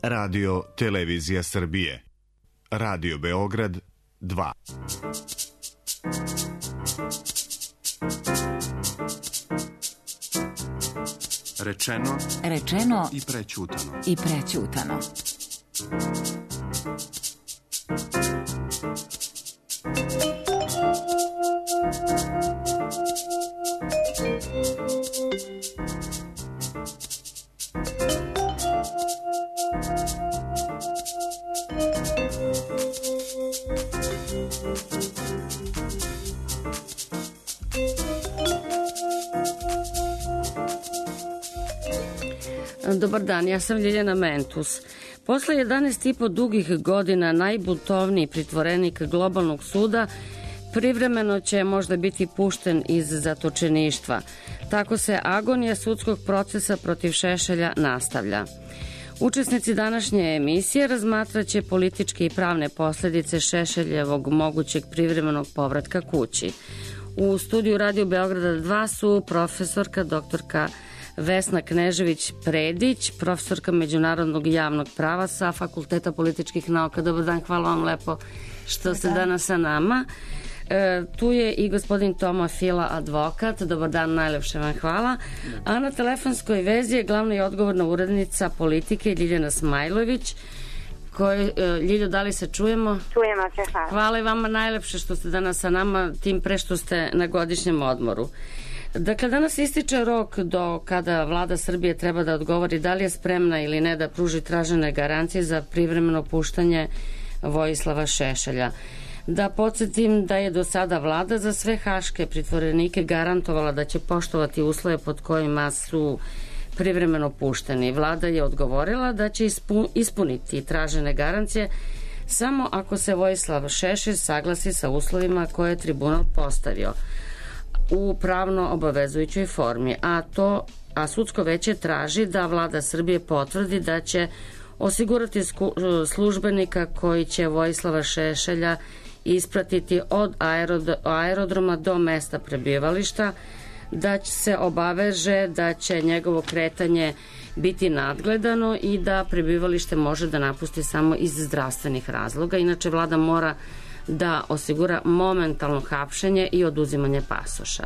Radio Televizija Srbije. Radio Beograd 2. Rečeno i prećutano. Dobar dan, ja sam Ljiljana Mentus. Posle 11,5 dugih godina najbuntovniji pritvorenik globalnog suda privremeno će možda biti pušten iz zatočeništva. Tako se agonija sudskog procesa protiv Šešelja nastavlja. Učesnici današnje emisije razmatraće političke i pravne posledice Šešeljevog mogućeg privremenog povratka kući. U studiju Radio Beograda 2 su profesorka doktorka Vesna Knežević-Predić, profesorka međunarodnog javnog prava sa Fakulteta političkih nauka. Dobar dan, hvala vam lepo što ste danas sa nama. Tu je i gospodin Toma Fila, advokat. Dobar dan, najlepše vam hvala. A na telefonskoj vezi je glavna i odgovorna urednica politike Ljiljana Smajlović. Ljiljo, da li se čujemo? Čujemo se, hvala. Hvala i vama najlepše što ste danas sa nama, tim pre što ste na godišnjem odmoru. Dakle, danas ističe rok do kada vlada Srbije treba da odgovori da li je spremna ili ne da pruži tražene garancije za privremeno puštanje Vojislava Šešelja. Da podsjetim da je do sada vlada za sve haške pritvorenike garantovala da će poštovati uslove pod kojima su privremeno pušteni. Vlada je odgovorila da će ispuniti tražene garancije samo ako se Vojislav Šešelj saglasi sa uslovima koje je tribunal postavio u pravno obavezujućoj formi, a sudsko veće traži da vlada Srbije potvrdi da će osigurati službenika koji će Vojislava Šešelja ispratiti od aerodroma do mesta prebivališta, da se obaveže da će njegovo kretanje biti nadgledano i da prebivalište može da napusti samo iz zdravstvenih razloga. Inače, vlada mora da osigura momentalno hapšenje i oduzimanje pasoša.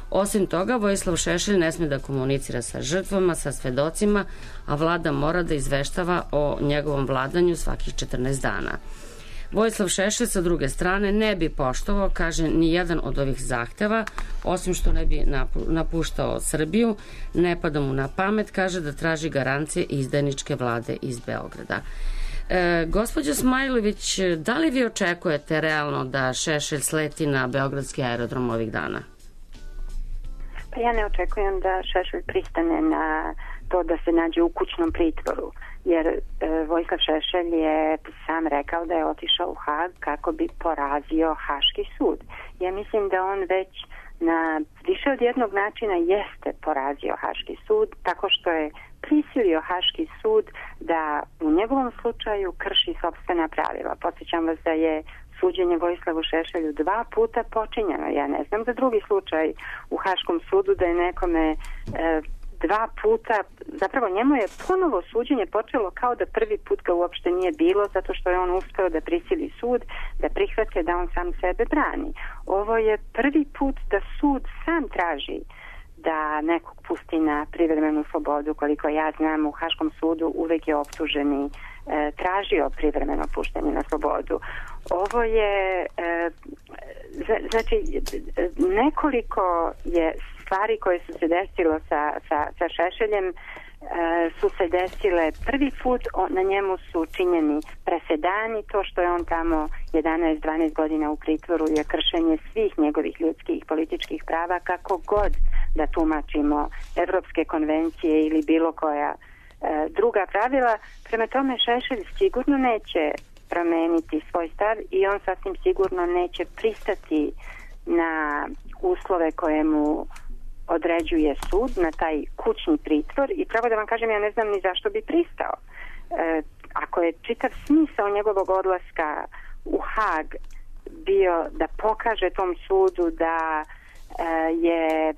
Osim toga, Vojislav Šešelj ne sme da komunicira sa žrtvama, sa svedocima, a vlada mora da izveštava o njegovom vladanju svakih 14 dana. Vojislav Šešelj sa druge strane ne bi poštovao, kaže, ni jedan od ovih zahteva, osim što ne bi napuštao Srbiju, ne pada mu na pamet, kaže, da traži garancije izdajničke vlade iz Beograda. Gospođo Smajlović, da li vi očekujete realno da Šešelj sleti na beogradski aerodrom ovih dana? Pa ja ne očekujem da Šešelj pristane na to da se nađe u kućnom pritvoru, jer Vojislav Šešelj je sam rekao da je otišao u Hag kako bi porazio Haški sud. Ja mislim da on već na više od jednog načina jeste porazio Haški sud, tako što je prisilio Haški sud da u njegovom slučaju krši sopstvena pravila. Podsjećam vas da je suđenje Vojislavu Šešelju 2 puta počinjeno. Ja ne znam za drugi slučaj u Haškom sudu da je nekome 2 puta, zapravo njemu je ponovo suđenje počelo kao da prvi put ga uopšte nije bilo, zato što je on uspeo da prisili sud, da prihvate da on sam sebe brani. Ovo je prvi put da sud sam traži da nekog pusti na privremenu slobodu. Koliko ja znam, u Haškom sudu uvek je optuženi tražio privremeno puštanje na slobodu. Ovo je znači nekoliko je stvari koje su se desilo sa Šešeljem su se desile prvi put, na njemu su činjeni presedani, to što je on tamo 11-12 godina u pritvoru je kršenje svih njegovih ljudskih i političkih prava, kako god da tumačimo evropske konvencije ili bilo koja druga pravila. Prema tome Šešelj sigurno neće promeniti svoj stav i on sasvim sigurno neće pristati na uslove koje mu određuje sud, na taj kućni pritvor, i pravo da vam kažem, ja ne znam ni zašto bi pristao. Ako je čitav smisao njegovog odlaska u Hag bio da pokaže tom sudu da je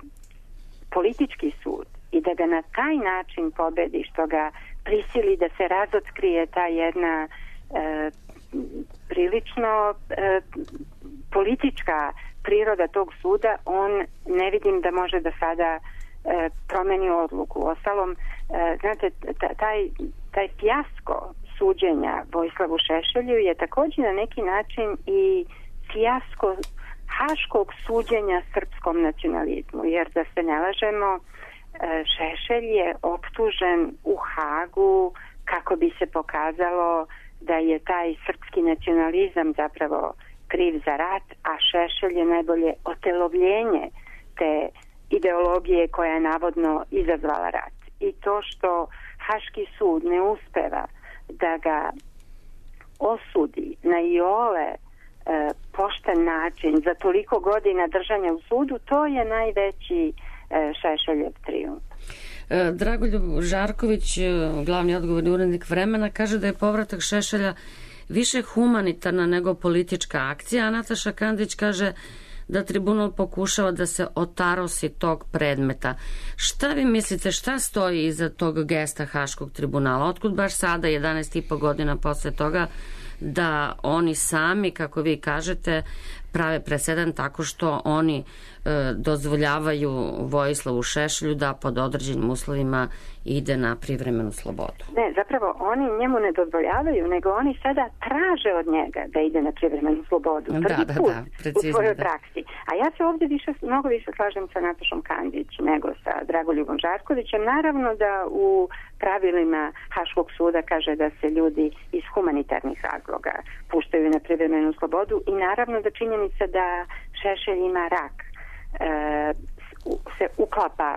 politički sud i da ga na taj način pobedi, što ga prisili da se razotkrije ta jedna prilično politička priroda tog suda, on ne vidim da može da sada promeni odluku. Ostalom, znate, taj fijasko suđenja Vojislavu Šešelju je također na neki način i fijasko haškog suđenja srpskom nacionalizmu, jer da se ne lažemo, Šešelj je optužen u Hagu kako bi se pokazalo da je taj srpski nacionalizam zapravo kriv za rat, a Šešelj je najbolje otelovljenje te ideologije koja je navodno izazvala rat. I to što Haški sud ne uspeva da ga osudi na iole pošten način za toliko godina držanja u sudu, to je najveći Šešeljev trijumf. Dragoljub Žarković, glavni odgovorni urednik Vremena, kaže da je povratak Šešelja više humanitarna nego politička akcija, a Nataša Kandić kaže da tribunal pokušava da se otarosi tog predmeta. Šta vi mislite, šta stoji iza tog gesta Haškog tribunala? Otkud baš sada, 11,5 godina posle toga, da oni sami, kako vi kažete, prave presedan tako što oni dozvoljavaju Vojislavu Šešelju da pod određenim uslovima ide na privremenu slobodu? Ne, zapravo oni njemu ne dozvoljavaju, nego oni sada traže od njega da ide na privremenu slobodu. Prvi put u svojoj praksi. A ja se ovdje mnogo više slažem sa Natašom Kandić nego sa Dragoljubom Žarkovićem. Naravno da u pravilima Haškog suda kaže da se ljudi iz humanitarnih razloga puštaju na privremenu slobodu i naravno da činjenica da Šešelj ima rak se uklapa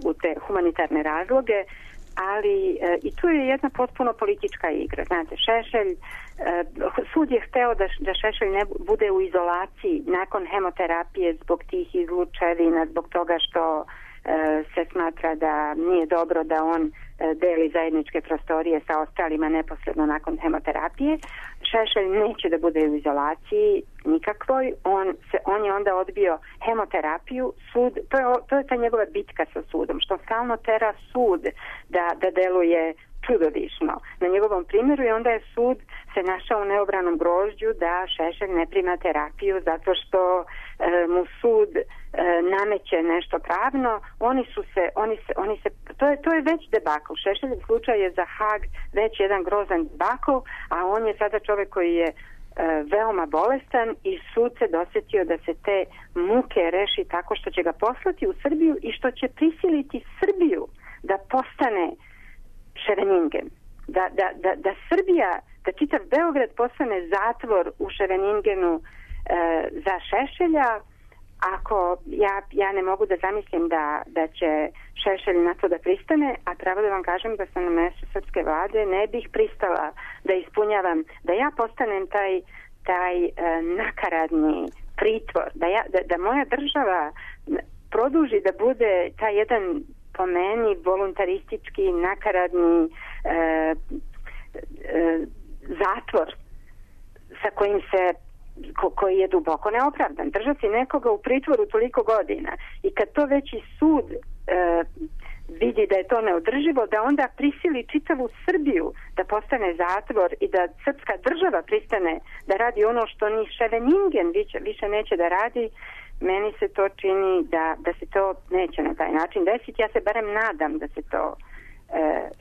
u te humanitarne razloge, ali i tu je jedna potpuno politička igra. Znate, Šešelj, sud je hteo da Šešelj ne bude u izolaciji nakon hemoterapije zbog tih izlučevina, zbog toga što se smatra da nije dobro da on deli zajedničke prostorije sa ostalima neposredno nakon hemoterapije. Šešelj neće da bude u izolaciji nikakvoj. On je onda odbio hemoterapiju. Sud, to je ta njegova bitka sa sudom, što stalno tera sud da deluje čudovišno na njegovom primjeru, i onda je sud se našao u neobranom grožđu da Šešelj ne prima terapiju zato što mu sud nameće nešto pravno. To je već debakl. Šešeljev slučaj je za Hag već jedan grozan debakl, a on je sada čovjek koji je veoma bolestan i sud se dosjetio da se te muke reši tako što će ga poslati u Srbiju i što će prisiliti Srbiju da postane Ševeningen. Da Srbija, da čitav Beograd postane zatvor u Ševeningenu za Šešelja. Ako ja ne mogu da zamislim da će Šešelj na to da pristane, a pravo da vam kažem da sam na mjestu srpske vlade ne bih pristala da ispunjavam, da ja postanem taj nakaradni pritvor, da moja država produži da bude taj jedan po meni voluntaristički nakaradni zatvor sa kojim se koji je duboko neopravdan. Držati nekoga u pritvoru toliko godina i kad to već i sud vidi da je to neodrživo, da onda prisili čitavu Srbiju da postane zatvor i da srpska država pristane da radi ono što ni Ševeningen više neće da radi, meni se to čini da se to neće na taj način desiti. Ja se barem nadam da se to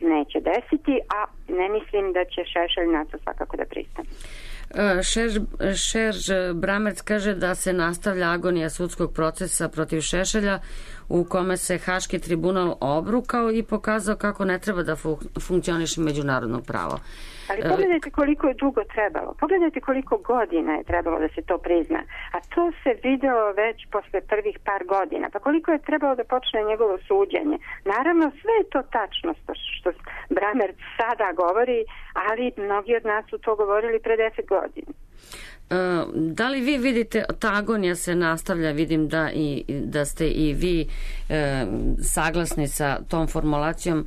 neće desiti, a ne mislim da će Šešelj na to svakako da pristane. Šerž Bramerc kaže da se nastavlja agonija sudskog procesa protiv Šešelja u kome se Haški tribunal obrukao i pokazao kako ne treba da funkcioniše međunarodno pravo. Ali pogledajte koliko je dugo trebalo. Pogledajte koliko godina je trebalo da se to prizna. A to se videlo već posle prvih par godina. Pa koliko je trebalo da počne njegovo suđenje. Naravno, sve je to tačno što Bramerc sada govori, ali mnogi od nas su to govorili pre 10 godina. Da li vi vidite, ta agonija se nastavlja, vidim da ste i vi saglasni sa tom formulacijom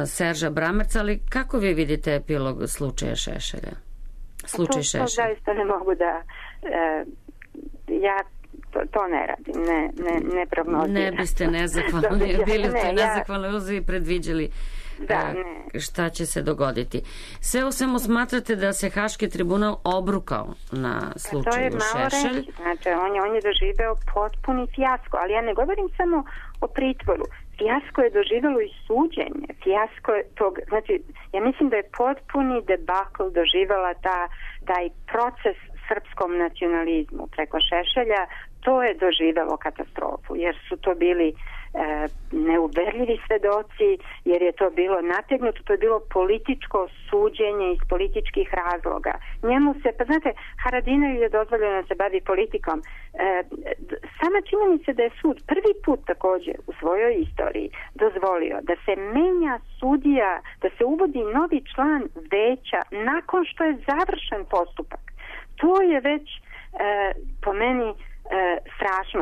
Serža Bramerca, ali kako vi vidite epilog slučaja Šešelja? To zaista ne mogu da ja to ne radim, ne prognozirati. Ne biste nezahvalni, bili ste nezahvalni, i predviđali šta će se dogoditi. Sve u svemu smatrate da se Haški tribunal obrukao na slučaju Šešelj? Reći. Znači, on je doživeo potpuni fijasko, ali ja ne govorim samo o pritvoru. Fijasko je doživelo i suđenje. Fijasko je tog, znači, ja mislim da je potpuni debakl doživela taj proces srpskom nacionalizmu preko Šešelja. To je doživelo katastrofu, jer su to bili neuverljivi svedoci, jer je to bilo nategnuto, to je bilo političko suđenje iz političkih razloga. Njemu se, pa znate, Haradinaju je dozvoljeno da se bavi politikom. Sama činjenica da je sud prvi put također u svojoj istoriji dozvolio da se menja sudija, da se uvodi novi član veća nakon što je završen postupak. To je već po meni strašno.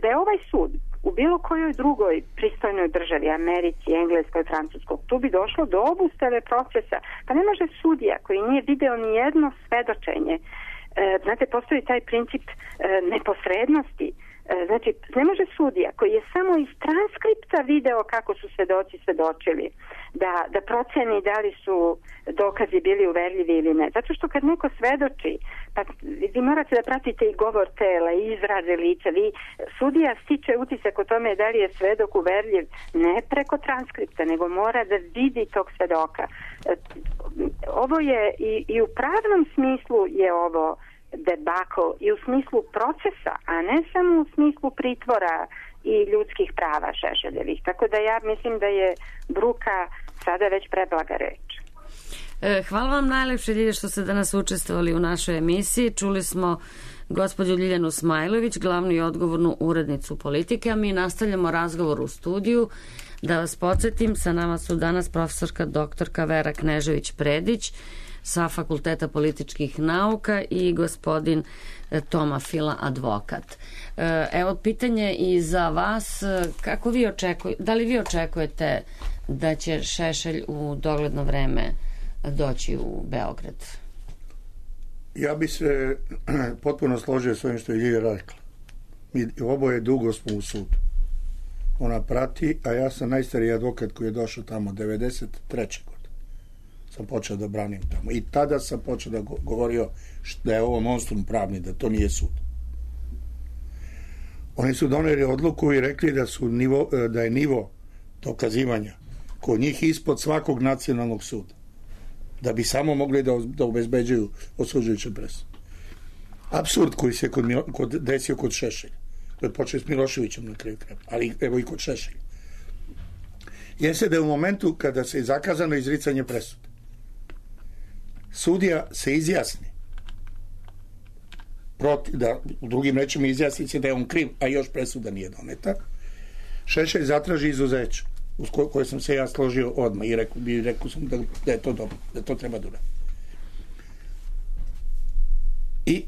Da je ovaj sud u bilo kojoj drugoj pristojnoj državi, Americi, Engleskoj, Francuskoj, tu bi došlo do obustave procesa. Pa ne može sudija koji nije video ni jedno svedočenje. Znate, postoji taj princip neposrednosti. Znači, ne može sudija koji je samo iz transkripta video kako su svedoci svedočili da proceni da li su dokazi bili uverljivi ili ne. Zato što kad neko svedoči, pa vi morate da pratite i govor tela i izraze lica. Sudija stiče utisak o tome da li je svedok uverljiv ne preko transkripta, nego mora da vidi tog svedoka. Ovo je i u pravnom smislu je ovo debakl i u smislu procesa, a ne samo u smislu pritvora i ljudskih prava Šešeljevih. Tako da ja mislim da je bruka sada već preblaga reč. Hvala vam najlepše, Ljilja, što ste danas učestvovali u našoj emisiji. Čuli smo gospođu Ljiljanu Smajlović, glavnu i odgovornu urednicu Politike, a mi nastavljamo razgovor u studiju. Da vas podsjetim, sa nama su danas profesorka doktorka Vera Knežević-Predić sa Fakulteta političkih nauka i gospodin Toma Fila, advokat. Evo pitanje i za vas, kako vi da li vi očekujete da će Šešelj u dogledno vreme doći u Beograd? Ja bi se potpuno složio s ovim što je Ljilja rekla. Mi oboje dugo smo u sudu. Ona prati, a ja sam najstariji advokat koji je došao tamo 93. godine. Sam počeo da branim tamo. I tada sam počeo da govorio da je ovo monstrum pravni, da to nije sud. Oni su doneli odluku i rekli da je nivo dokazivanja kod njih ispod svakog nacionalnog suda. Da bi samo mogli da obezbeđuju osuđujuće presude. Apsurd koji se desio kod Šešelja. To je počeo s Miloševićem na kraju kraja. Ali evo i kod Šešelja. Jeste da je u momentu kada se je zakazano izricanje presude, sudija se izjasni da u drugim rečima izjasni se da je on kriv, a još presuda nije doneta, Šešelj zatraži izuzeće uz koje sam se ja složio odmah i rekao sam da je to dobro, da to treba da uradi. I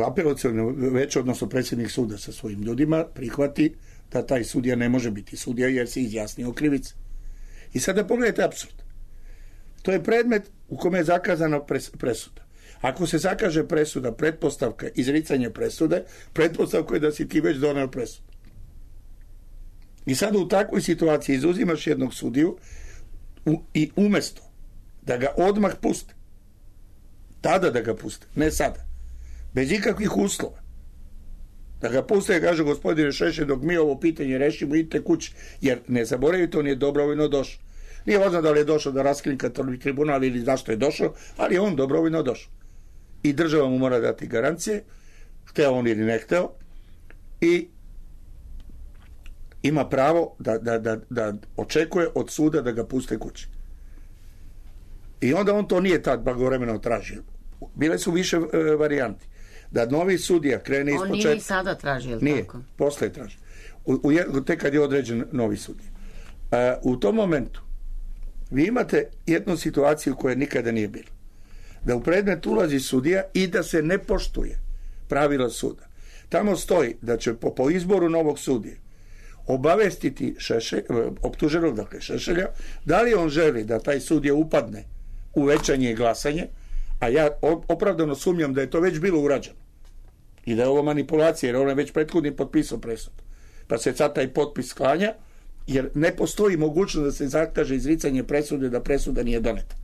apelaciono veće, odnosno predsjednik suda sa svojim ljudima prihvati da taj sudija ne može biti sudija jer se izjasnio krivice. I sada pogledajte apsurd. To je predmet u kome je zakazana presuda. Ako se zakaže presuda, pretpostavka izricanje presude, pretpostavka je da si ti već doneo presudu. I sada u takvoj situaciji izuzimaš jednog sudiju i umjesto da ga odmah puste, tada da ga puste, ne sada, bez ikakvih uslova, da ga puste i kaže gospodine Šešelj, dok mi ovo pitanje rešimo, idite kući, jer ne zaboravite, on je dobrovoljno došao. Nije važno da li je došao da raskrinka tribunal ili zašto je došao, ali je on dobrovoljno došao. I država mu mora dati garancije, hteo on ili ne hteo, i ima pravo da očekuje od suda da ga puste kući. I onda on to nije tad blagovremeno tražio. Bile su više varijanti. Da novi sudija krene iz početka. On nije i sada tražio, ili tako? Nije, posle je tražio. Tek kad je određen novi sudija. U tom momentu vi imate jednu situaciju koja nikada nije bila. Da u predmet ulazi sudija i da se ne poštuje pravila suda. Tamo stoji da će po izboru novog sudije obavestiti optuženog, dakle Šešelja, da li on želi da taj sudija upadne u većanje i glasanje, a ja opravdano sumnjam da je to već bilo urađeno i da je ovo manipulacija, jer on je već prethodni potpisao presudu. Pa se sad taj potpis sklanja jer ne postoji mogućnost da se zakaže izricanje presude da presuda nije doneta.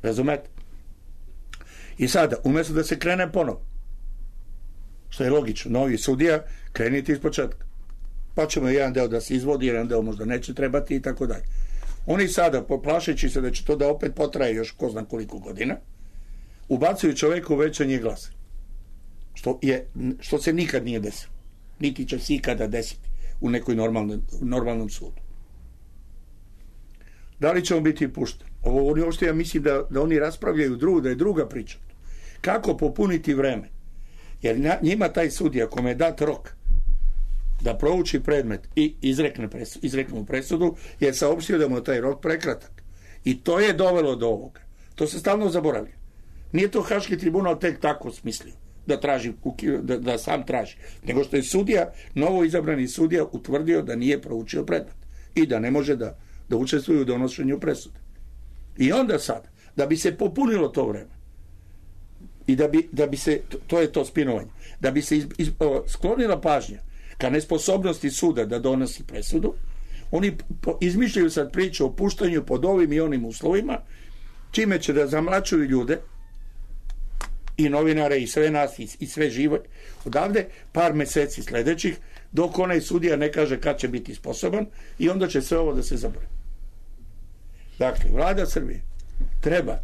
Razumete? I sada, umjesto da se krene ponovo, što je logično, novi sudija, krenite iz početka. Pa ćemo jedan deo da se izvodi, jedan deo možda neće trebati i tako dalje. Oni sada, poplašeći se da će to da opet potraje još ko zna koliko godina, ubacuju čoveka u većanje glasa. Što se nikad nije desilo. Niti će se ikada desiti u nekoj normalnom sudu. Da li će on biti pušten? Ovo uopšte ja mislim da oni raspravljaju da je druga priča. Kako popuniti vreme? Jer njima taj sudija kome je dat rok da prouči predmet i izrekne mu presudu, je saopštio da mu je taj rok prekratak. I to je dovelo do ovoga. To se stalno zaboravlja. Nije to Haški tribunal tek tako smislio da sam traži, nego što je sudija, novo izabrani sudija, utvrdio da nije proučio predmet i da ne može da učestvuje u donošenju presude. I onda sad, da bi se popunilo to vreme i da bi se, to je to spinovanje, da bi se sklonila pažnja ka nesposobnosti suda da donosi presudu, oni izmišljaju sad priču o puštanju pod ovim i onim uslovima, čime će da zamlačuju ljude i novinare i sve nas i sve živo odavde par meseci sledećih, dok onaj sudija ne kaže kad će biti sposoban, i onda će sve ovo da se zaboravi. Dakle, vlada Srbije treba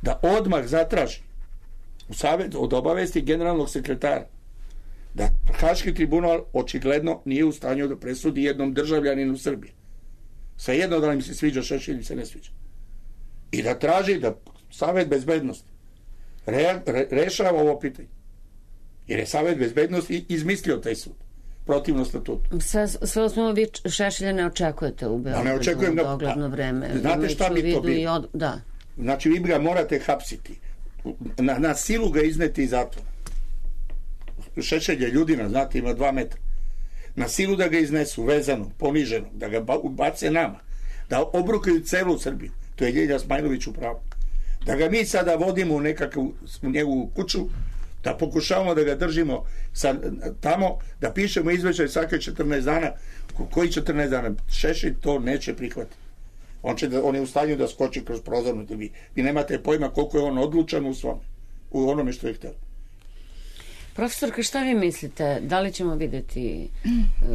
da odmah zatraži u savjet od obavesti generalnog sekretara da Haški tribunal očigledno nije u stanju da presudi jednom državljaninu Srbije. Svejedno da li mi se sviđa Šešelj ili se ne sviđa. I da traži da Savet bezbednosti rešava ovo pitanje. Jer je Savet bezbednosti izmislio taj sud. Protivno statutu. Sve osnovno vi Šešelja ne očekujete u Beogradu? Ne očekujem u dogledno vreme. Znate šta bi to bilo? Da. Znači vi ga morate hapsiti. Na silu ga izneti iz zatvora. Šešelj je ljudina, znate, ima 2 metra. Na silu da ga iznesu, vezano, poniženo, da ga bace nama, da obrukaju celu Srbiju. To je Ljilja Smajlović u pravu. Da ga mi sada vodimo u njegovu kuću, da pokušavamo da ga držimo tamo, da pišemo izveštaj svake 14 dana. Koji 14 dana? Šešelj to neće prihvatiti. On je u stanju da skoči kroz prozornu. Vi nemate pojma koliko je on odlučan u onome što je htio. Profesorka, šta vi mislite? Da li ćemo videti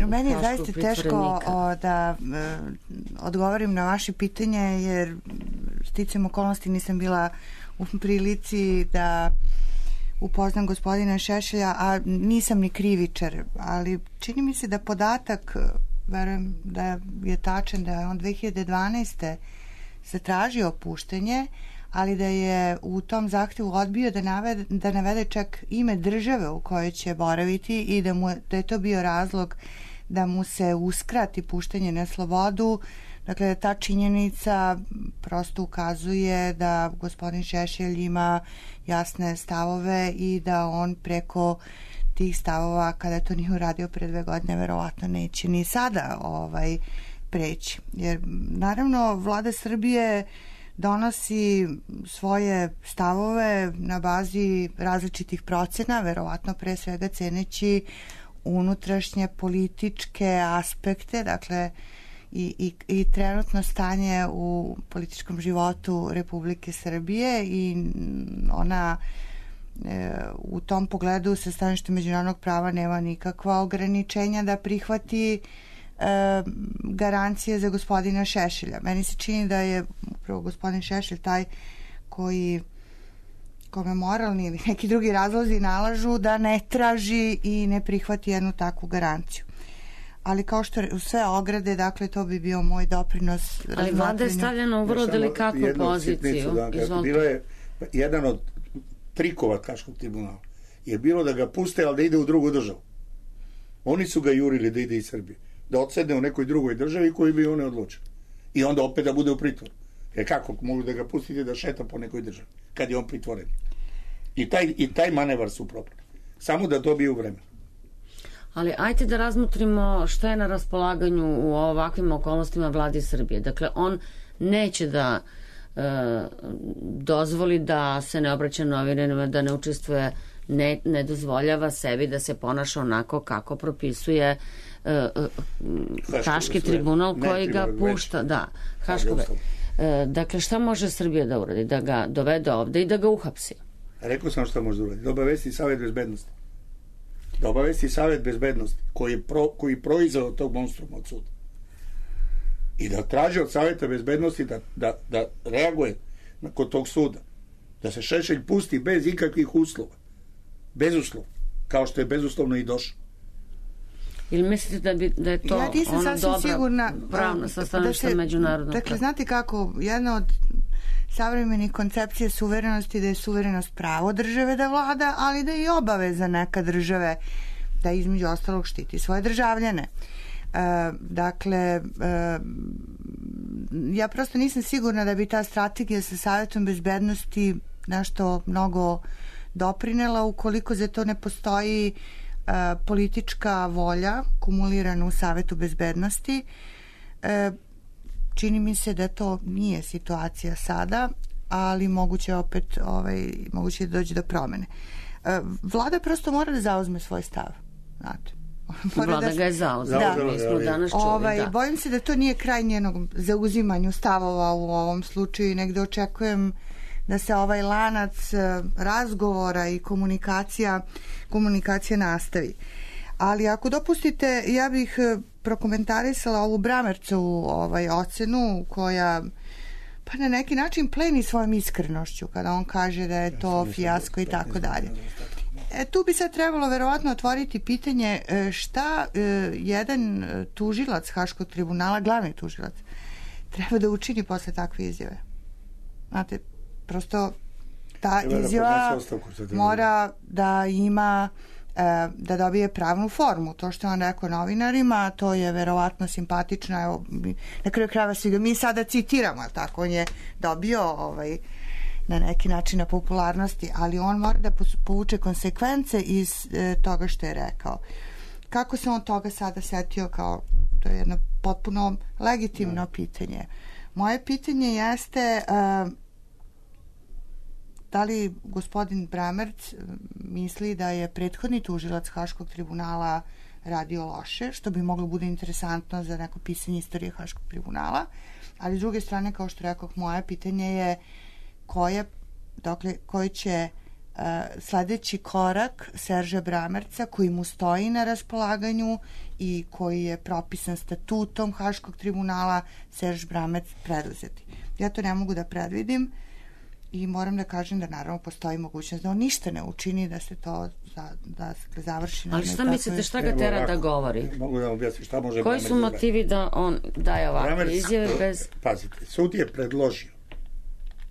meni je zaista teško da odgovorim na vaše pitanje, jer sticajem okolnosti nisam bila u prilici da upoznam gospodina Šešelja, a nisam ni krivičar, ali čini mi se da podatak, verujem da je tačan, da je on 2012. zatražio puštenje, ali da je u tom zahtevu odbio da navede čak ime države u kojoj će boraviti i da je to bio razlog da mu se uskrati puštanje na slobodu. Dakle, ta činjenica prosto ukazuje da gospodin Šešelj ima jasne stavove i da on preko tih stavova, kada to nije uradio pre 2 godine, verovatno neće ni sada preći. Jer, naravno, vlada Srbije donosi svoje stavove na bazi različitih procena, verovatno pre svega ceneći unutrašnje političke aspekte, dakle i trenutno stanje u političkom životu Republike Srbije, i ona u tom pogledu sa stanovišta međunarodnog prava nema nikakva ograničenja da prihvati garancije za gospodina Šešelja. Meni se čini da je upravo gospodin Šešelj taj kome moralni ili neki drugi razlozi nalažu da ne traži i ne prihvati jednu takvu garanciju. Ali kao što u sve ograde, dakle, to bi bio moj doprinos. Ali vlada je stavljena u vrlo delikatnu poziciju. Bilo je jedan od trikova Haškog tribunala je bilo da ga puste, ali da ide u drugu državu. Oni su ga jurili da ide iz Srbije, da odsedne u nekoj drugoj državi koju bi oni odlučili. I onda opet da bude u pritvoru. Jer kako mogu da ga pustite da šeta po nekoj državi kad je on pritvoren? I taj manevar su propali. Samo da dobiju vreme. Ali ajte da razmotrimo šta je na raspolaganju u ovakvim okolnostima vladi Srbije. Dakle, on neće da dozvoli da se ne obraća novinarima, da ne učestvuje, ne dozvoljava sebi da se ponaša onako kako propisuje Haški tribunal koji ga pušta. Da, dakle, šta može Srbija da uradi? Da ga dovede ovde i da ga uhapsi? Rekao sam šta može da uradi. Da obavesti Savet bezbednosti. Da obavesti Savet bezbednosti koji proizveo tog monstruma od suda. I da traži od Saveta bezbednosti da reaguje kod tog suda. Da se Šešelj pusti bez ikakvih uslova. Bezuslovno. Kao što je bezuslovno i došao. Ili mislite da je to ona dobra pravna sastavništa međunarodnog? Dakle, znate kako, jedna od savremenih koncepcija suverenosti da je suverenost pravo države da vlada, ali da je i obaveza neka države da između ostalog štiti svoje državljane. Dakle, ja prosto nisam sigurna da bi ta strategija sa Savetom bezbednosti nešto mnogo doprinela ukoliko za to ne postoji politička volja kumulirana u Savetu bezbednosti. Čini mi se da to nije situacija sada, ali moguće opet moguće da dođe do promene. Vlada prosto mora da zauzme svoj stav. Znate. Vlada ga je zauzela. Bojim se da to nije kraj njenog zauzimanju stavova u ovom slučaju i negde očekujem da se ovaj lanac razgovora i komunikacija nastavi. Ali ako dopustite, ja bih prokomentarisala ovu Bramercovu ocenu koja pa na neki način pleni svojom iskrenošću kada on kaže da je to fijasko i tako dalje. Tu bi sad trebalo verovatno otvoriti pitanje šta jedan tužilac Haškog tribunala, glavni tužilac, treba da učini posle takve izjave. Znate, prosto ta izjava mora da ima da dobije pravnu formu. To što je on rekao novinarima, to je verovatno simpatično. Evo, na kraju krajeva svi ga mi sada citiramo, tako on je dobio na neki način na popularnosti, ali on mora da povuče konsekvence iz toga što je rekao. Kako se on toga sada setio, kao to je jedno potpuno legitimno pitanje. Moje pitanje jeste da li gospodin Bramerc misli da je prethodni tužilac Haškog tribunala radio loše, što bi moglo bude interesantno za neko pisanje istorije Haškog tribunala, ali s druge strane, kao što rekao, moje pitanje je koji će sledeći korak Serža Bramerca, koji mu stoji na raspolaganju i koji je propisan statutom Haškog tribunala, Serž Bramerc preduzeti. Ja to ne mogu da predvidim i moram da kažem da naravno postoji mogućnost da on ništa ne učini, da se to završi. Ali šta mislite, šta ga tera da govori? Mogu da objasnim šta može. Koji su motivi da on daje ovakve izjave bez... Pazite, sud je predložio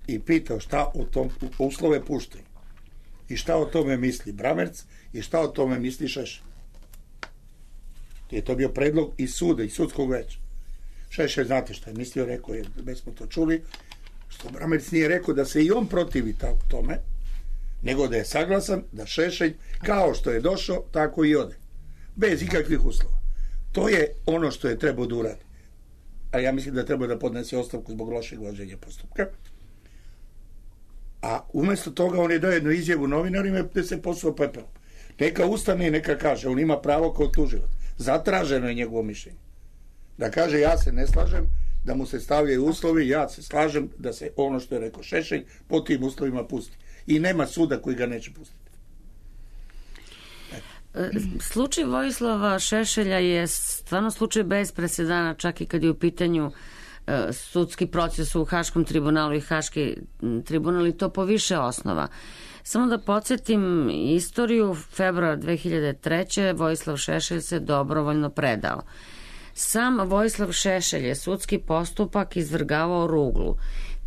i pitao šta o tom uslove puštaju i šta o tome misli Bramerc i šta o tome misli Šešelj. Je to bio predlog iz suda, iz sudskog veća. Šešelj, znate šta je mislio, rekao je, već smo to čuli, što Bramerc nije rekao da se i on protivi tome, nego da je saglasan da Šešelj, kao što je došao, tako i ode. Bez ikakvih uslova. To je ono što je trebao da uradi. A ja mislim da treba da podnese ostavku zbog lošeg vođenja postupka. A umesto toga on je dao jednu izjavu novinarima gde se posuo pepelom. Neka ustane i neka kaže, on ima pravo kao tužilac. Zatraženo je njegovo mišljenje. Da kaže, ja se ne slažem, da mu se stavljaju uslovi, ja se slažem da se ono što je rekao Šešelj po tim uslovima pusti. I nema suda koji ga neće pustiti. Slučaj Vojislava Šešelja je stvarno slučaj bez presedana, čak i kad je u pitanju sudski proces u Haškom tribunalu i Haški tribunal, i to po više osnova. Samo da podsjetim istoriju, februar 2003. Vojislav Šešelj se dobrovoljno predao. Sam Vojislav Šešelj je sudski postupak izvrgavao ruglu.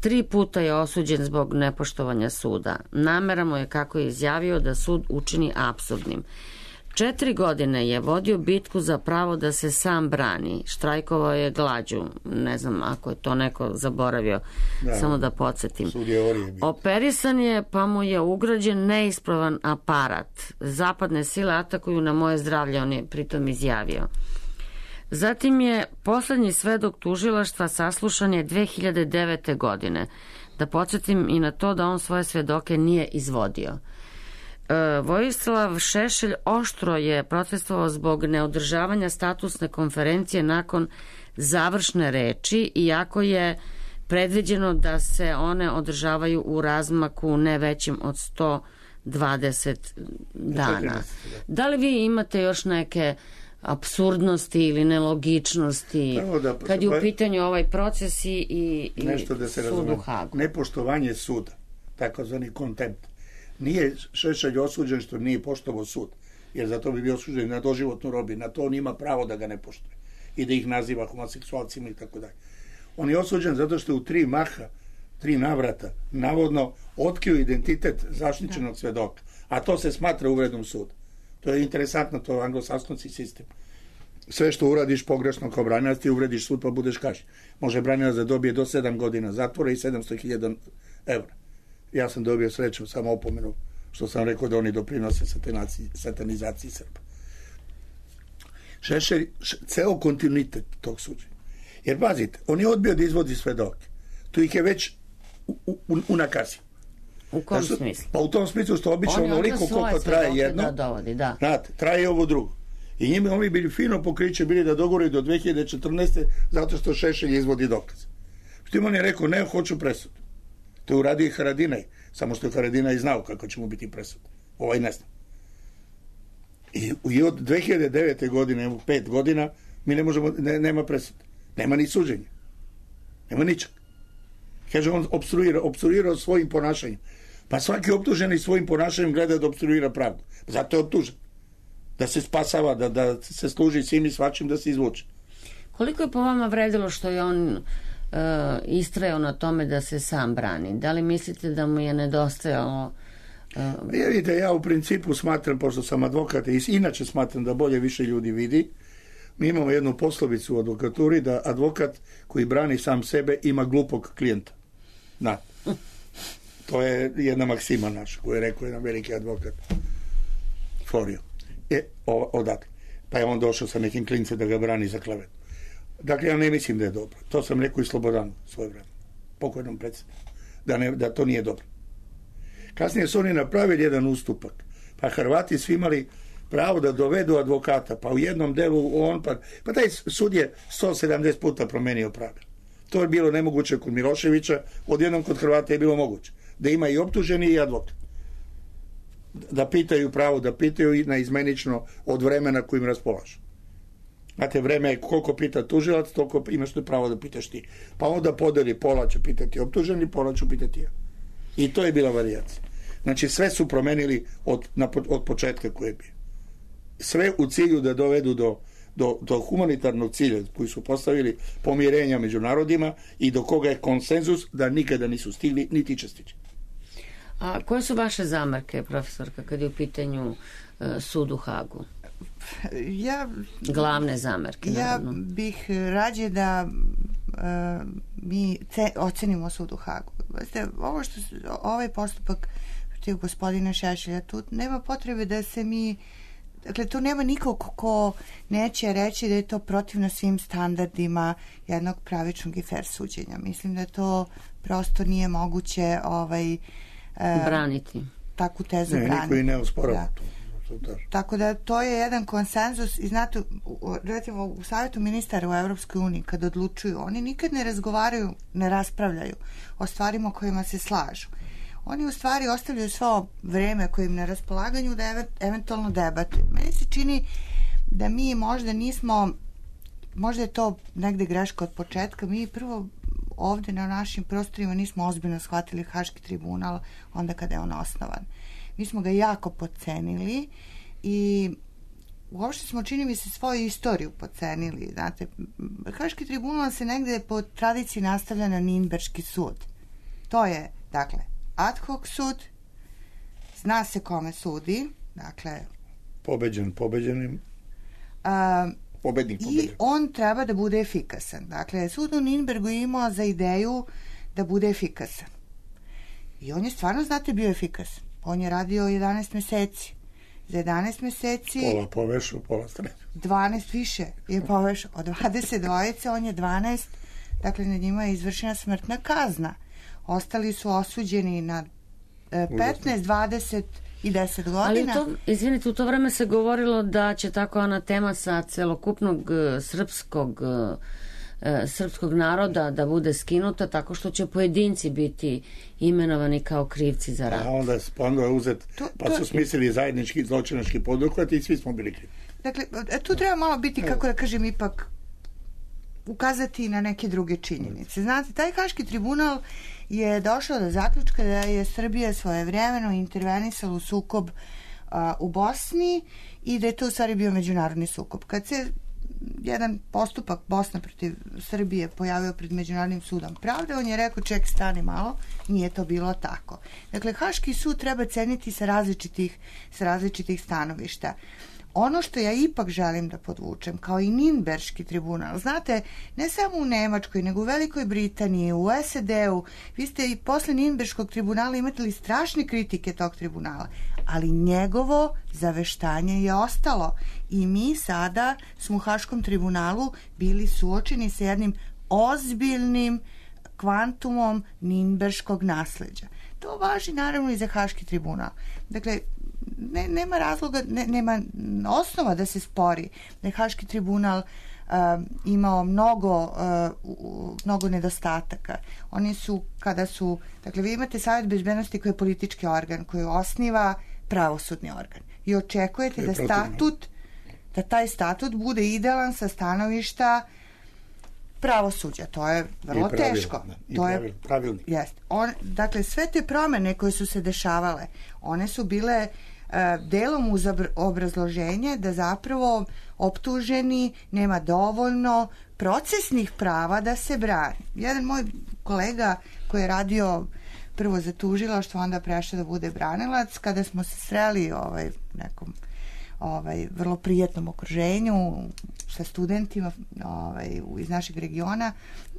3 puta je osuđen zbog nepoštovanja suda. Namera mu je, kako je izjavio, da sud učini apsurdnim. 4 godine je vodio bitku za pravo da se sam brani. Štrajkovao je glađu. Ne znam ako je to neko zaboravio. Samo da podsjetim. Operisan je, pa mu je ugrađen neispravan aparat. Zapadne sile atakuju na moje zdravlje, on je pritom izjavio. Zatim je poslednji svedok tužilaštva saslušan je 2009. godine. Da podsjetim i na to da on svoje svedoke nije izvodio. Vojislav Šešelj oštro je protestovao zbog neodržavanja statusne konferencije nakon završne reči, iako je predviđeno da se one održavaju u razmaku ne većim od 120 dana. Da li vi imate još neke apsurdnosti ili nelogičnosti kad je u pitanju ovaj proces i sud u Hagu? Nepoštovanje suda, takozvani kontempt. Nije Šešelj osuđen što nije poštovao sud, jer za to bi bio osuđen na doživotnu robiju. Na to on ima pravo da ga ne poštuje i da ih naziva homoseksualcima i tako dalje. On je osuđen zato što je u 3 navrata navodno otkrio identitet zaštićenog svedoka, a to se smatra uvredom suda. To je interesantno, to je anglosaskonski sistem. Sve što uradiš pogrešno kao branilac, ti uvrediš sud pa budeš kažnjen. Može branilac da dobije do 7 godina zatvora i 700.000 evra. Ja sam dobio sreću samo opomenu što sam rekao da oni doprinose satanizaciji Srba. Šešelj, ceo kontinuitet tog suđenja. Jer pazite, on je odbio da izvodi svedoke. Tu ih je već unakazio. U kom smislu? Pa u tom smislu što obično onoliko koliko traje jedno, znate, traje ovo drugo. I njima oni bili fino pokriće bili da dogovore do 2014. zato što Šešelj izvodi dokaz. Što on je rekao, ne, hoću presudu. To je uradio i Haradinaj, samo što je Haradinaj znao kako će mu biti presud. Ovaj ne zna. I od 2009. godine, 5 godina, mi ne možemo, nema presude. Nema ni suđenja. Nema ničeg. Kaže, on opstruirao svojim ponašanjem. Pa svaki optuženi svojim ponašanjem gleda da opstruira pravdu. Zato je optužen. Da se spasava, da se služi svim i svačim, da se izvuče. Koliko je po vama vredilo što je on istrajao na tome da se sam brani? Da li mislite da mu je nedostajalo? Vidite, ja u principu smatram, pošto sam advokat i inače smatram da bolje više ljudi vidi, mi imamo jednu poslovicu u advokaturi da advokat koji brani sam sebe ima glupog klijenta. Da. To je jedna maksima naša koju je rekao jedan veliki advokat. Florio. Odatle. Pa je on došao sa nekim klincem da ga brani za klevetu. Dakle, ja ne mislim da je dobro. To sam rekao i Slobodanu svoje vreme. Pokojnom predsjedniku. Da to nije dobro. Kasnije su oni napravili jedan ustupak. Pa Hrvati svi imali pravo da dovedu advokata. Pa u jednom delu on... Pa taj sud je 170 puta promenio pravila. To je bilo nemoguće kod Miloševića. Odjednom kod Hrvata je bilo moguće. Da ima i optuženi i advokat. Da pitaju pravo, da pitaju naizmenično od vremena kojim raspolažu. Znate, vreme je koliko pita tužilac, toliko imaš pravo da pitaš ti. Pa onda podeli, pola će pitati optuženi, pola ću pitati ja. I to je bila varijacija. Znači, sve su promenili od početka koje je bio. Sve u cilju da dovedu do humanitarnog cilja koji su postavili pomirenja među narodima i do koga je konsenzus da nikada nisu stigli, niti će stići. A koje su vaše zamerke, profesorka, kad je u pitanju sud u Hagu? Glavne zamerke, naravno. Ja bih rađe da mi ocenimo sud u Hagu. Ovaj postupak protiv gospodina Šešelja, tu nema potrebe da se mi... Dakle, tu nema nikog ko neće reći da je to protivno svim standardima jednog pravičnog i fair suđenja. Mislim da to prosto nije moguće braniti. Takvu tezu braniti. Niko i ne osporava. Tako da to je jedan konsenzus i znate, recimo u Savjetu ministara u Evropskoj uniji kad odlučuju, oni nikad ne razgovaraju, ne raspravljaju o stvarima kojima se slažu. Oni u stvari ostavljaju svo vreme koje im na raspolaganju da eventualno debatuju. Meni se čini da mi možda nismo, možda je to negde greška od početka, mi prvo ovde na našim prostorima nismo ozbiljno shvatili Haški tribunal onda kada je on osnovan. Mi smo ga jako podcenili i uopšte smo, čini mi se, svoju istoriju podcenili. Znate, Haški tribunal se negde po tradiciji nastavlja na Ninberški sud. To je, dakle, ad hoc sud, zna se kome sudi, dakle... Pobednik. I on treba da bude efikasan. Dakle, sud u Ninbergu je imao za ideju da bude efikasan. I on je stvarno, znate, bio efikasan. On je radio 11 meseci. Za 11 meseci... Pola povešao, pola stređu. 12 više je povešao. Od 22 on je 12, dakle, nad njima je izvršena smrtna kazna. Ostali su osuđeni na 15, 20 i 10 godina. Ali izvinite, u to vreme se govorilo da će tako anatema sa celokupnog srpskog naroda da bude skinuta tako što će pojedinci biti imenovani kao krivci za rat. A onda je uzet, pa su smislili zajednički zločinački poduhvat i svi smo bili krivi. Dakle, tu treba malo biti, kako da kažem, ipak ukazati na neke druge činjenice. Znate, taj Haški tribunal je došao do zaključka da je Srbija svojevremeno intervenisala u sukob u Bosni i da je to u stvari bio međunarodni sukob. Kad se jedan postupak Bosna protiv Srbije pojavio pred Međunarodnim sudom pravde, on je rekao, ček, stani malo, nije to bilo tako. Dakle, Haški sud treba ceniti sa različitih stanovišta. Ono što ja ipak želim da podvučem, kao i Ninberški tribunal, znate, ne samo u Nemačkoj, nego u Velikoj Britaniji, u SAD-u, vi ste i posle Ninberškog tribunala imali strašne kritike tog tribunala, ali njegovo zaveštanje je ostalo i mi sada smo u Haškom tribunalu bili suočeni sa jednim ozbiljnim kvantumom Ninberškog nasleđa. To važi naravno i za Haški tribunal. Dakle, nema razloga, nema osnova da se spori da je Haški tribunal imao mnogo nedostataka. Oni su, dakle, vi imate Savjet bezbednosti koji je politički organ, koji osniva pravosudni organ i očekujete da taj statut bude idealan sa stanovišta pravosuđa. To je vrlo teško. To je pravilnik. Dakle, sve te promene koje su se dešavale, one su bile delom uz obrazloženje da zapravo optuženi nema dovoljno procesnih prava da se brani. Jedan moj kolega koji je radio prvo za tužilaštvo, onda prešao da bude branilac, kada smo se sreli u nekom vrlo prijatnom okruženju sa studentima iz našeg regiona,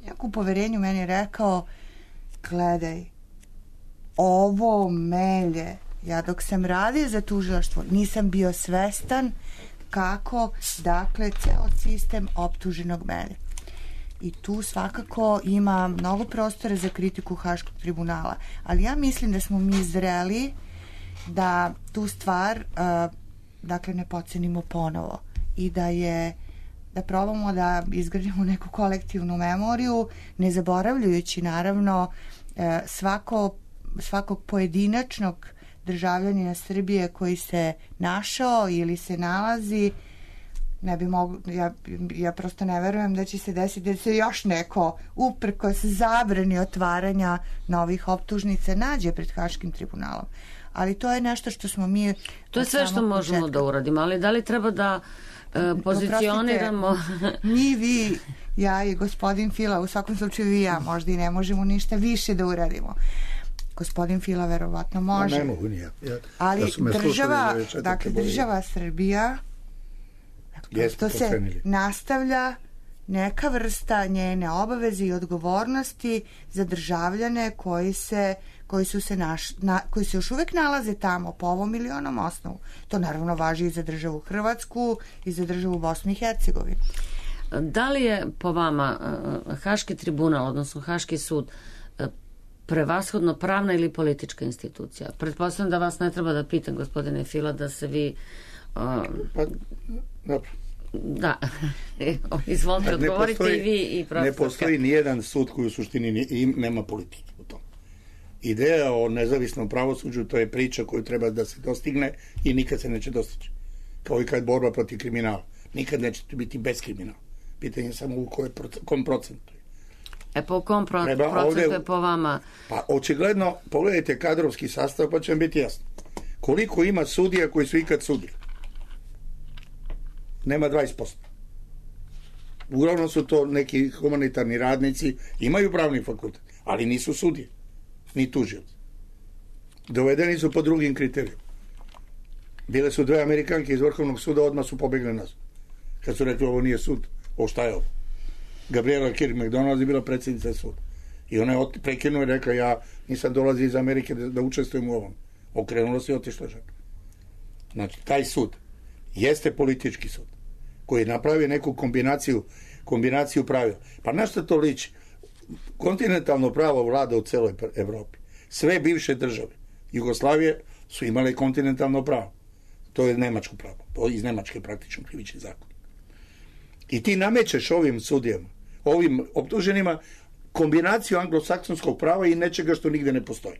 neku poverenju meni je rekao, gledaj, ovo melje, ja dok sam radio za tužilaštvo nisam bio svestan kako, dakle, ceo sistem optuženog melje. I tu svakako ima mnogo prostora za kritiku Haškog tribunala, ali ja mislim da smo mi zreli da tu stvar dakle ne podcenimo ponovo i da probamo da izgradimo neku kolektivnu memoriju, ne zaboravljajući naravno svakog pojedinačnog državljanina Srbije koji se našao ili se nalazi. Ne bi moglo, ja prosto ne verujem da će se desiti da se još neko uprkos zabrani otvaranja novih optužnica nađe pred Haškim tribunalom. Ali to je nešto što smo mi... To je sve što možemo da uradimo, ali da li treba da pozicioniramo... Mi, vi, ja i gospodin Fila, u svakom slučaju i ja, možda i ne možemo ništa više da uradimo. Gospodin Fila verovatno može. Ne mogu nije. Ali država Srbija, to se nastavlja neka vrsta njene obaveze i odgovornosti za državljane koji se još uvek nalaze tamo po ovom ili onom osnovu. To naravno važi i za državu Hrvatsku i za državu Bosnu i Hercegovinu. Da li je po vama Haški tribunal, odnosno Haški sud, prevashodno pravna ili politička institucija? Pretpostavljam da vas ne treba da pitam, gospodine Fila, da se vi... Dobro. Da, izvolite, odgovorite i vi i profesor. Ne postoji nijedan sud koji u suštini nema politike u tom. Ideja o nezavisnom pravosuđu, to je priča koju treba da se dostigne i nikad se neće dostići. Kao i kad borba protiv kriminala. Nikad neće biti bez kriminala. Pitanje je samo u kom procentu. Po kom procentu je po vama? Pa očigledno, pogledajte kadrovski sastav pa će vam biti jasno. Koliko ima sudija koji su ikad sudili? Nema 20%. Uglavnom su to neki humanitarni radnici, imaju pravni fakultet, ali nisu sudije, ni tužioci. Dovedeni su po drugim kriterijima. Bile su 2 Amerikanke iz Vrhovnog suda, odmah su pobegli nazad. Kad su rekli ovo nije sud, šta je ovo? Gabriela Kirk McDonald je bila predsjednica suda. I ona je prekinuo i rekla, ja nisam dolazio iz Amerike da učestvujem u ovom. Okrenula se i otišla žena. Znači, taj sud jeste politički sud koji je napravio neku kombinaciju pravila. Pa na što to liči? Kontinentalno pravo vlada u celoj Evropi. Sve bivše države Jugoslavije su imale kontinentalno pravo. To je nemačko pravo. Iz Nemačke praktično krivični zakon. I ti namećeš ovim sudijama, ovim optuženima, kombinaciju anglosaksonskog prava i nečega što nigde ne postoji.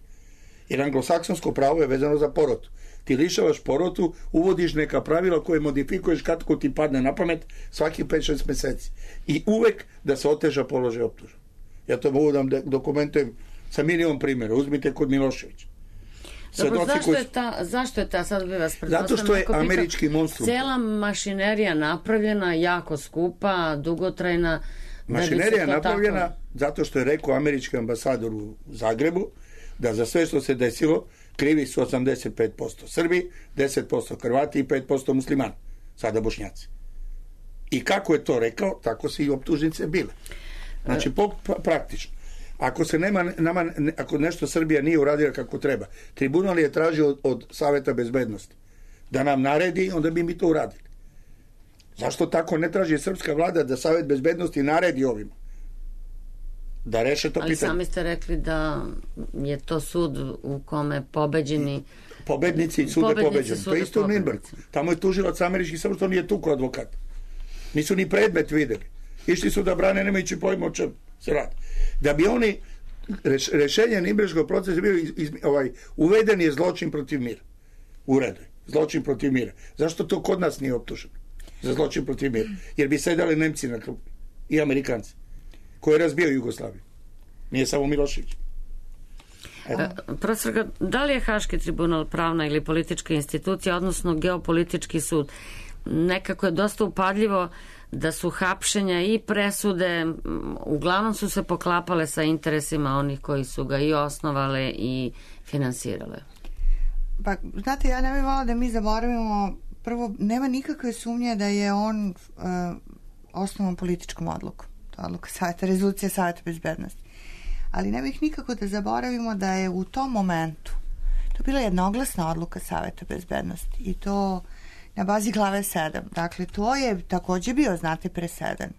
Jer anglosaksonsko pravo je vezano za porotu. Ti lišavaš porotu, uvodiš neka pravila koje modifikuješ kako ti padne na pamet svaki 5-6 meseci. I uvek da se oteža položaj optuženog. Ja to mogu da dokumentujem sa milion primjera. Uzmite kod Miloševića. Dobro, zašto je ta, sad bi vas pretpostavljam, zato što je američki monstrum. Cijela mašinerija napravljena, jako skupa, dugotrajna. Mašinerija je napravljena zato što je rekao američki ambasador u Zagrebu da za sve što se desilo krivi su 85% Srbi, 10% Hrvati i 5% muslimani, sada Bošnjaci. I kako je to rekao, tako se i optužnice bile. Znači, praktično. Ako nešto Srbija nije uradila kako treba, tribunal je tražio od Saveta bezbednosti da nam naredi, onda bi mi to uradili. Zašto tako ne traži srpska vlada da Savet bezbednosti naredi ovima? Da reše to pitanje. Ali sami ste rekli da je to sud u kome pobednici sude pobeđeni. To je isto u Nürnbergu. Tamo je tužilac američki, samo što nije tukao advokat. Nisu ni predmet videli. Išli su da brane nemajući pojma o čemu se radi. Da bi oni rešenje Nürnberškog procesa bio uveden je zločin protiv mira. Uredu. Zločin protiv mira. Zašto to kod nas nije optuženo? Za zločin protiv mira. Jer bi sedali Nemci na klubu i Amerikanci koji je razbio Jugoslaviju. Nije samo Milošević. Profesor, da li je Haški tribunal pravna ili politička institucija, odnosno geopolitički sud? Nekako je dosta upadljivo da su hapšenja i presude uglavnom su se poklapale sa interesima onih koji su ga i osnovale i finansirale. Pa, znate, ja ne bih volila da mi zaboravimo, prvo, nema nikakve sumnje da je on osnovan političkom odlukom. To je odluka Saveta, rezolucija Saveta bezbednosti. Ali ne bih nikako da zaboravimo da je u tom momentu to bila jednoglasna odluka Saveta bezbednosti i to na bazi glave 7. Dakle, to je također bio, znate, presedan.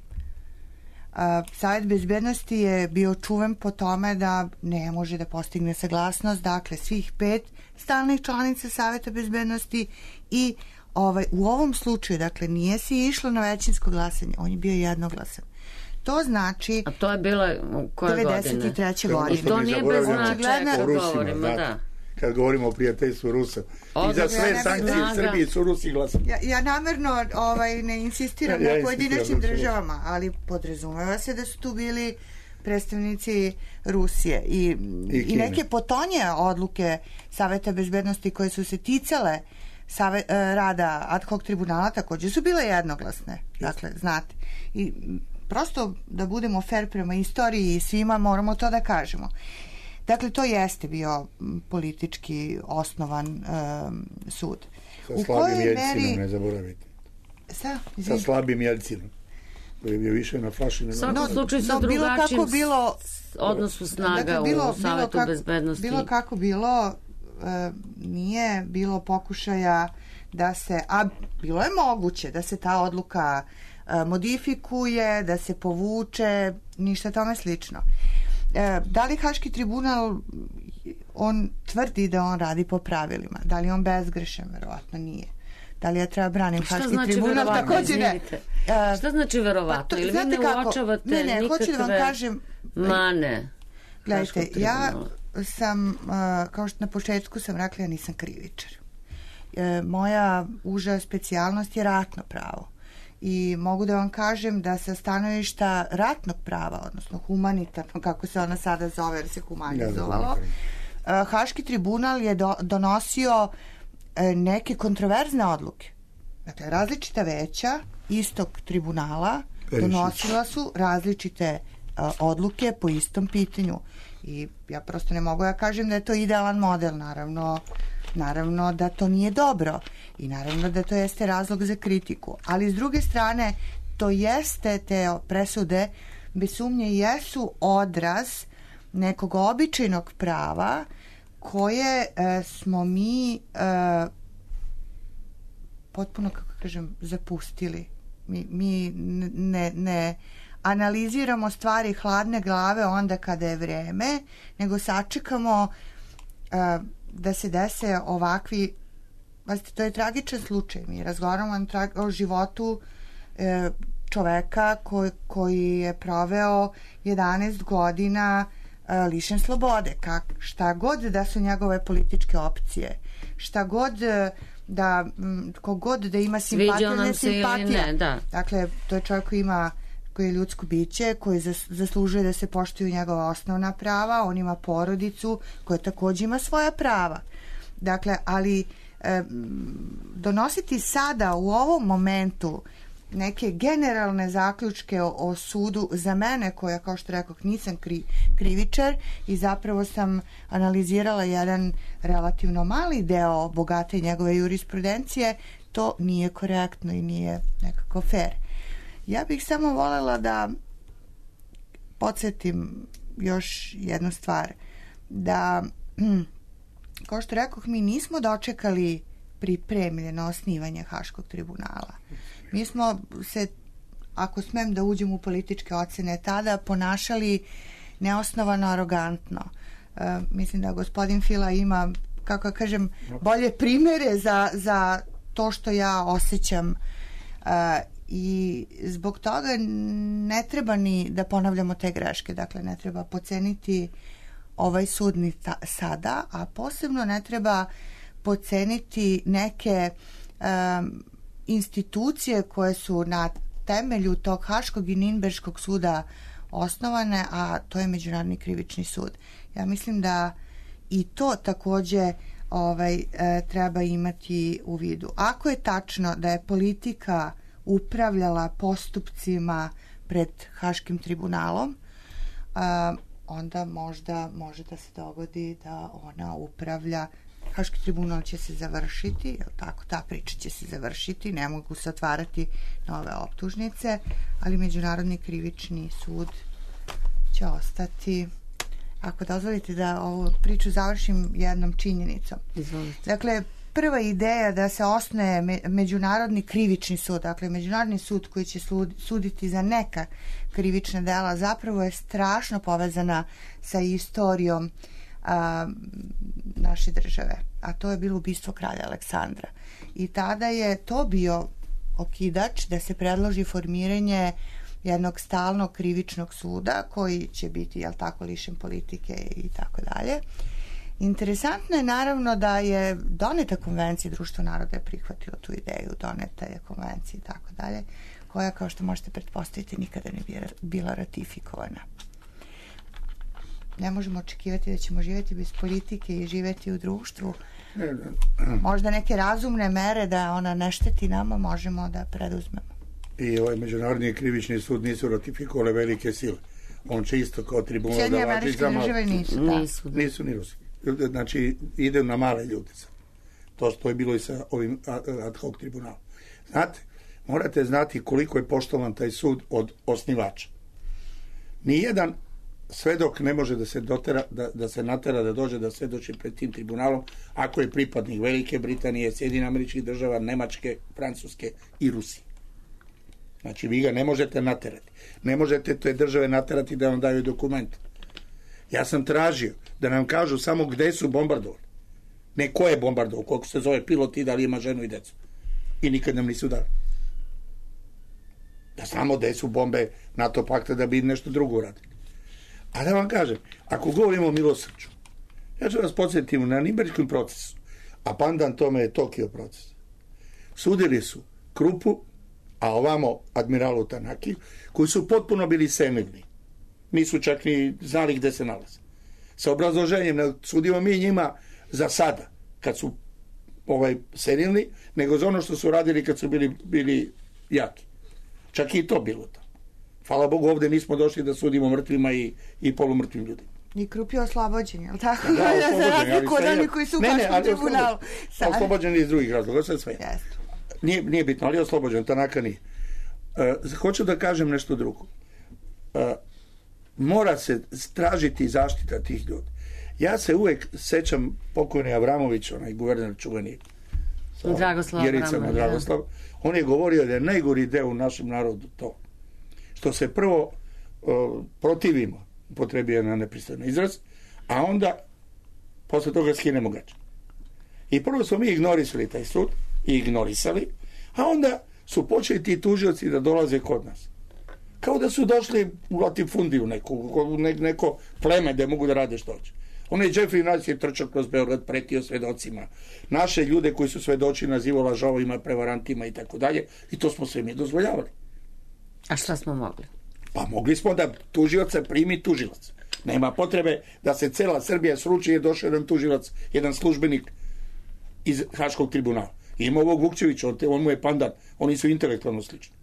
Savet bezbednosti je bio čuven po tome da ne može da postigne saglasnost, dakle, svih 5 stalnih članica Saveta bezbednosti i u ovom slučaju, dakle, nije se išlo na većinsko glasanje, on je bio jednoglasan. To znači... A to je bilo koje 93. godine. I to nije bez značaja kad govorimo, da. Kad govorimo o prijateljstvu Rusa. I za sve sankcije u Srbiji su Rusi glasali. Ja namjerno ne insistiram na pojedinačnim državama, ali podrazumeva se da su tu bili predstavnici Rusije i neke potonje odluke Saveta bezbednosti koje su se ticale rada ad hoc tribunala također su bile jednoglasne. Dakle, znate. I prosto da budemo fair prema istoriji i svima moramo to da kažemo. Dakle, to jeste bio politički osnovan sud. Sa slabim Jeljcinom, ne zaboravite. Sa slabim Jeljcinom, koji je bio više na flaši. U svakom slučaju sa drugačijim odnosu snaga u Savetu bezbednosti. Bilo kako bilo, nije bilo pokušaja da se, a bilo je moguće da se ta odluka modifikuje, da se povuče, ništa tome slično. Da li Haški tribunal, on tvrdi da on radi po pravilima? Da li je on bezgrešan? Verovatno nije. Da li ja treba branim Haški tribunal? Također ne. Šta znači verovatno? Ili vi ne uočavate nikakve hoću da vam kažem, mane? Gledajte, ja sam, kao što na početku sam rekla, ja nisam krivičar. Moja uža specijalnost je ratno pravo. I mogu da vam kažem da sa stanovišta ratnog prava, odnosno humanitarno, kako se ona sada zove, jer se humanizovalo, Haški tribunal je donosio neke kontroverzne odluke. Dakle, različita veća istog tribunala donosila su različite odluke po istom pitanju. I ja prosto ne mogu da kažem da je to idealan model, naravno da to nije dobro i naravno da to jeste razlog za kritiku, ali s druge strane to jeste, te presude bez sumnje jesu odraz nekog običajnog prava koje smo mi potpuno, kako kažem, zapustili. Mi ne analiziramo stvari hladne glave onda kada je vreme, nego sačekamo da se dese ovakvi, to je tragičan slučaj, mi razgovaramo o životu čoveka koji je proveo 11 godina lišen slobode. Šta god da su njegove političke opcije, šta god da, kogod da ima simpatiju ili nesimpatija. Dakle, to je čovjek koji je ljudsko biće, koji zaslužuje da se poštuju njegova osnovna prava, on ima porodicu koja također ima svoja prava. Dakle, ali donositi sada u ovom momentu neke generalne zaključke o sudu za mene, koja, kao što rekoh, nisam krivičar i zapravo sam analizirala jedan relativno mali deo bogate njegove jurisprudencije, to nije korektno i nije nekako fair. Ja bih samo voljela da podsjetim još jednu stvar, da kao što rekoh, mi nismo dočekali pripremljeno osnivanje Haškog tribunala. Mi smo se, ako smem da uđem u političke ocene, tada ponašali neosnovano arogantno. Mislim da gospodin Fila ima, kako kažem, bolje primere za to što ja osjećam, i zbog toga ne treba ni da ponavljamo te greške. Dakle, ne treba podceniti ovaj sud ni sada, a posebno ne treba podceniti neke institucije koje su na temelju tog Haškog i Ninberškog suda osnovane, a to je Međunarodni krivični sud. Ja mislim da i to također treba imati u vidu. Ako je tačno da je politika upravljala postupcima pred Haškim tribunalom, onda možda može da se dogodi da ona upravlja. Haški tribunal će se završiti, je li tako? Ta priča će se završiti, ne mogu se otvarati nove optužnice, ali Međunarodni krivični sud će ostati. Ako dozvolite da ovu priču završim jednom činjenicom. Izvolite. Dakle, prva ideja da se osnuje Međunarodni krivični sud, dakle Međunarodni sud koji će suditi za neka krivična dela, zapravo je strašno povezana sa istorijom naše države, a to je bilo ubistvo kralja Aleksandra. I tada je to bio okidač da se predloži formiranje jednog stalnog krivičnog suda koji će biti, jel tako, lišen politike i tako dalje. Interesantno je naravno da je doneta konvencija, Društvo naroda je prihvatilo tu ideju, doneta je konvencija i tako dalje, koja, kao što možete pretpostaviti, nikada ne bi bila ratifikovana. Ne možemo očekivati da ćemo živjeti bez politike i živjeti u društvu. Možda neke razumne mere da ona ne šteti nama možemo da preduzmemo. I ovaj Međunarodni krivični sud nisu ratifikovale velike sile. On će isto kao tribunal da Sjedinjene Američke Države nisu ni Rusi. Znači, ide na male ljude. To što je bilo i sa ovim ad hoc tribunalom. Znate, morate znati koliko je poštovan taj sud od osnivača. Nijedan svedok ne može da se dotera, da se natera da dođe da svedoči pred tim tribunalom ako je pripadnik Velike Britanije, Sjedinjenih Američkih Država, Nemačke, Francuske i Rusije. Znači, vi ga ne možete naterati. Ne možete te države naterati da vam daju dokumente. Ja sam tražio da nam kažu samo gde su bombardovali. Ne ko je bombardovao, koliko se zove pilot i da li ima ženu i decu. I nikad nam nisu dali. Da znamo gde su bombe NATO pakta da bi nešto drugo uradili. A da vam kažem, ako govorimo o milosrđu, ja ću vas podsjetiti na Ninberškom procesu, a pandan tome je Tokio proces. Sudili su Krupu, a ovamo admiralu Tanaki, koji su potpuno bili senilni. Nisu čak ni znali gde se nalaze. Sa obrazloženjem, ne sudimo mi njima za sada, kad su senilni, nego za ono što su radili kad su bili jaki. Čak i to bilo tamo. Hvala Bogu, ovde nismo došli da sudimo mrtvima i polumrtvim ljudima. I Krup je oslobođen, je li tako? Da, oslobođen. Razliku od onih koji su u Haškom tribunalu. Oslobođen iz drugih razloga, sve sve. Nije bitno, ali je oslobođen, Tanaka nije. Hoću da kažem nešto drugo. Mora se tražiti zaštita tih ljudi. Ja se uvek sećam pokojni Avramović, onaj guverner čuveni Dragoslav. On je govorio da je najgori deo u našem narodu to. Što se prvo protivimo, upotrebio na nepristojan izraz, a onda posle toga skinemo gače. I prvo smo mi ignorisali taj sud, a onda su počeli ti tužioci da dolaze kod nas. Kao da su došli u latifundiju neko pleme da mogu da rade što hoće. Onaj Jeffrey Nash je trčao kroz Beograd, pretio svedocima. Naše ljude koji su svedoči nazivao lažovima, prevarantima i tako dalje. I to smo sve mi dozvoljavali. A šta smo mogli? Pa mogli smo da tužioca primi tužilac. Nema potrebe da se cela Srbija sruči, je došao jedan tužilac, jedan službenik iz Haškog tribunala. Ima ovog Vukčevića, on mu je pandan. Oni su intelektualno slični.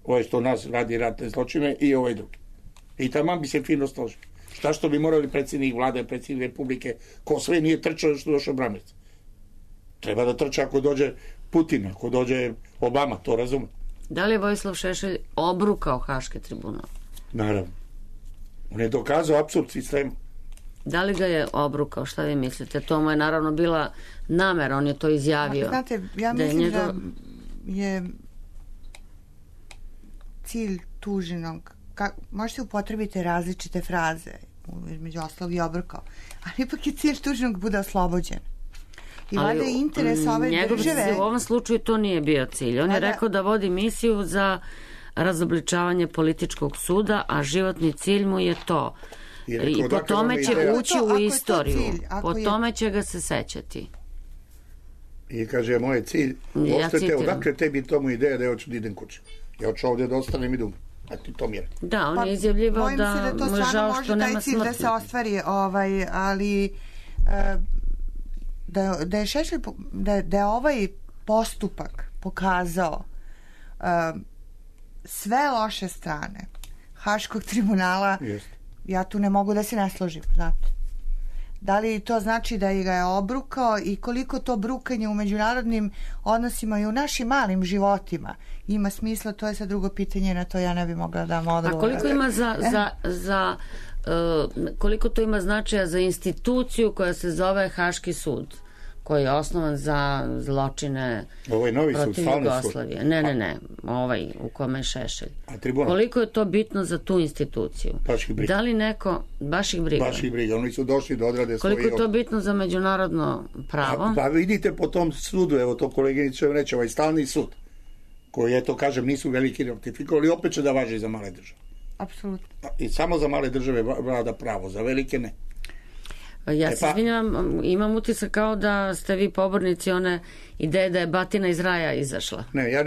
Ovo je što nas radi ratne zločine i ovaj drugi. I taman bi se fino složio. Šta što bi morali predsjednik vlade, predsjednik republike, ko sve nije trčao što došao Bramerc. Treba da trča ako dođe Putin, ako dođe Obama, to razume. Da li je Vojislav Šešelj obrukao Haški tribunal? Naravno. On je dokazao apsurd sistema. Da li ga je obrukao? Šta vi mislite? To mu je naravno bila namera, on je to izjavio. Znate, ja mislim da je cilj tuženog, možete upotrebiti različite fraze, između ostalog i obrukao, ali ipak je cilj tuženog bude oslobođen. I valjda je interes ove države... U ovom slučaju to nije bio cilj. On je rekao da vodi misiju za razobličavanje političkog suda, a životni cilj mu je to. I po tome će ući u istoriju. Po tome će ga se sećati. I kaže, moj cilj, ostete, odakle tebi tomu ideja da ja hoću da idem kući. Ja hoću ovdje da ostanem i da umrem. A ti to mjeri. Da, on je izjavljivao da mu je žao što nema smrti. Da se ostvari, ali da je Šešelj, da je ovaj postupak pokazao sve loše strane Haškog tribunala, ja tu ne mogu da se ne složim, znate. Da li to znači da ga je obrukao i koliko to brukanje u međunarodnim odnosima i u našim malim životima ima smisla, to je sad drugo pitanje, na to ja ne bi mogla da vam odgovorim. A koliko ima koliko to ima značaja za instituciju koja se zove Haški sud, koji je osnovan za zločine protiv Jugoslavije? Ne, ovaj u kome je Šešelj. Koliko je to bitno za tu instituciju? Da li neko, baš ih briga, oni su došli da odrade svoje... Koliko je to bitno za međunarodno pravo? Pa vidite po tom sudu, evo to koleginice reče, ovaj stalni sud, koji, eto kažem, nisu veliki ratifikovali, opet će da važi za male države. Apsolutno. I samo za male države vlada pravo, za velike ne. Ja se izvinjam, imam utisak kao da ste vi pobornici one ideje da je batina iz raja izašla. Ne, ja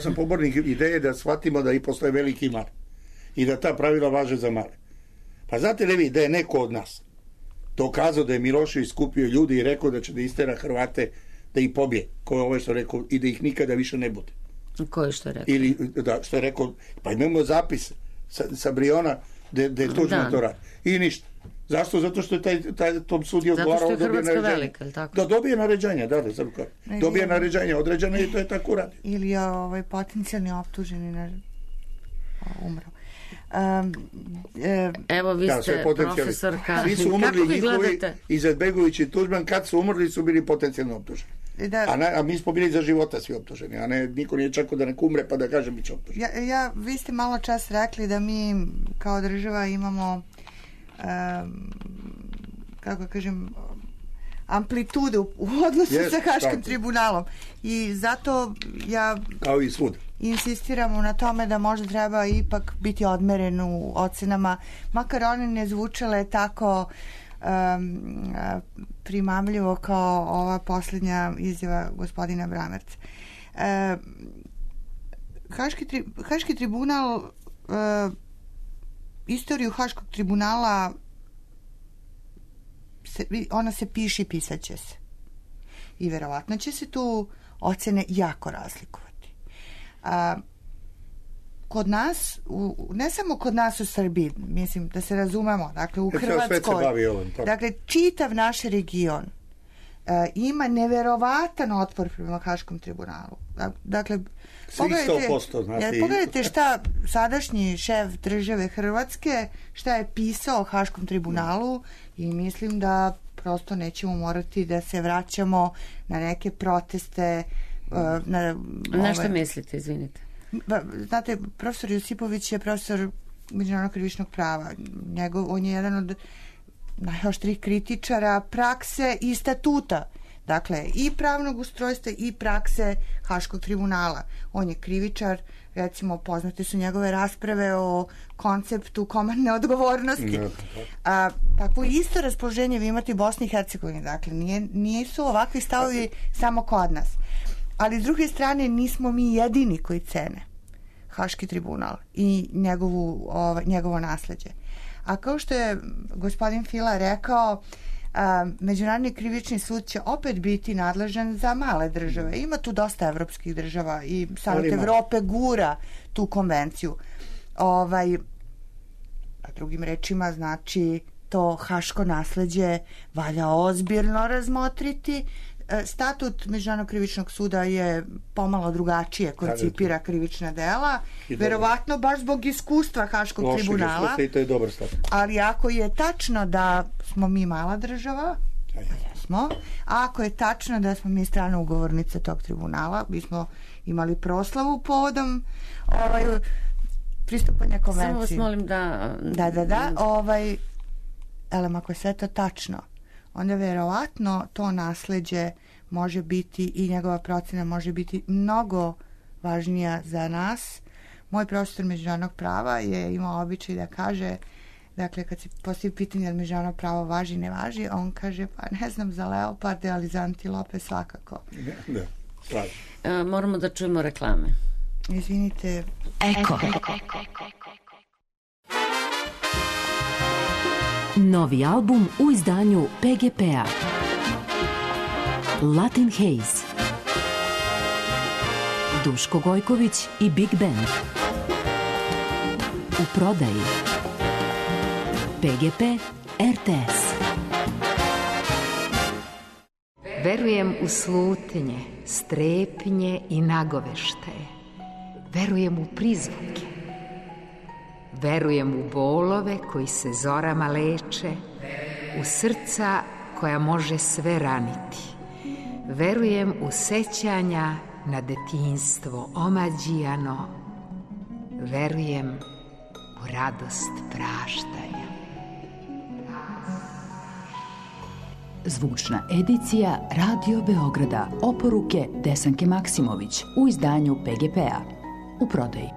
sam pobornik ideje da shvatimo da i postoje veliki i mali. I da ta pravila važe za male. Pa znate li vi da je neko od nas dokazao da je Milošević skupio ljudi i rekao da će da istera Hrvate, da ih pobije, ko je ovo što je rekao, i da ih nikada više ne bude. Ko je što je rekao? Ili, da, što je rekao, pa imamo zapis sa Briona da je Tuđman to radi. I ništa. Zašto? Zato što je tom sudiju odgovarao da dobije naređenje. Da dobije naređenje, dobije naređenje određene i to je tako radi. Ili je potencijalni optuženi umrao. Evo vi ste profesorka. Svi su umrli njihovi, Izetbegović i Tuđman, kad su umrli su bili potencijalno optuženi. A mi smo bili za života svi optuženi, a ne, niko nije čekao da neko umre pa da kaže bit će optužen. Vi ste malo čas rekli da mi kao država imamo kako kažem amplitudu u odnosu sa Haškim tribunalom i zato ja kao i svud insistiramo na tome da možda treba ipak biti odmeren u ocenama, makar one ne zvučale tako primamljivo kao ova posljednja izjava gospodina Bramerca. Haški tribunal, istoriju Haškog tribunala ona se piše i pisat će se. I verovatno će se tu ocene jako razlikovati. Kod nas, ne samo kod nas u Srbiji, mislim da se razumemo, dakle u Hrvatskoj, dakle čitav naš region ima neverovatan otpor prema Haškom tribunalu. Dakle, pogledajte šta sadašnji šef države Hrvatske, šta je pisao o Haškom tribunalu i mislim da prosto nećemo morati da se vraćamo na neke proteste. Na što mislite, izvinite? Znate, profesor Josipović je profesor međunarodnog krivičnog prava. On je jedan od najoštrih kritičara prakse i statuta. Dakle, i pravnog ustrojstva i prakse Haškog tribunala. On je krivičar, recimo, poznate su njegove rasprave o konceptu komandne odgovornosti. Takvo isto raspoloženje vi imate u Bosni i Hercegovini. Dakle, nisu ovakvi stavovi samo kod nas. Ali, s druge strane, nismo mi jedini koji cene Haški tribunal i njegovo nasleđe. A kao što je gospodin Fila rekao, Međunarodni krivični sud će opet biti nadležan za male države. Ima tu dosta evropskih država i Savet Evrope gura tu konvenciju. Drugim rečima, znači, to haško nasleđe valja ozbiljno razmotriti. Statut Međunarodnog krivičnog suda je pomalo drugačije koncipira krivična dela, verovatno baš zbog iskustva Haškog tribunala. I to je dobar statut. Ali ako je tačno da smo mi mala država, a ako je tačno da smo mi strana ugovornica tog tribunala, bismo imali proslavu povodom pristupanja konvenciji. Samo vas molim da... Ako je sve to tačno, onda verovatno to nasleđe može biti i njegova procena može biti mnogo važnija za nas. Moj profesor međunarodnog prava je imao običaj da kaže, dakle, kad se postavi pitanje da međunarodno pravo važi, ne važi, on kaže, pa ne znam za leoparde, ali za antilope svakako. Moramo da čujemo reklame. Izvinite. Eko. Novi album u izdanju PGP-a. Latin Haze. Duško Gojković i Big Band. U prodaji. PGP RTS. Verujem u slutnje, strepnje i nagoveštaje. Verujem u prizvuke. Verujem u bolove koji se zorama leče, u srca koja može sve raniti. Verujem u sećanja na detinjstvo omađijano. Verujem u radost praštanja. Zvučna edicija Radio Beograda. Oporuke Desanke Maksimović u izdanju PGP-a. U prodaji.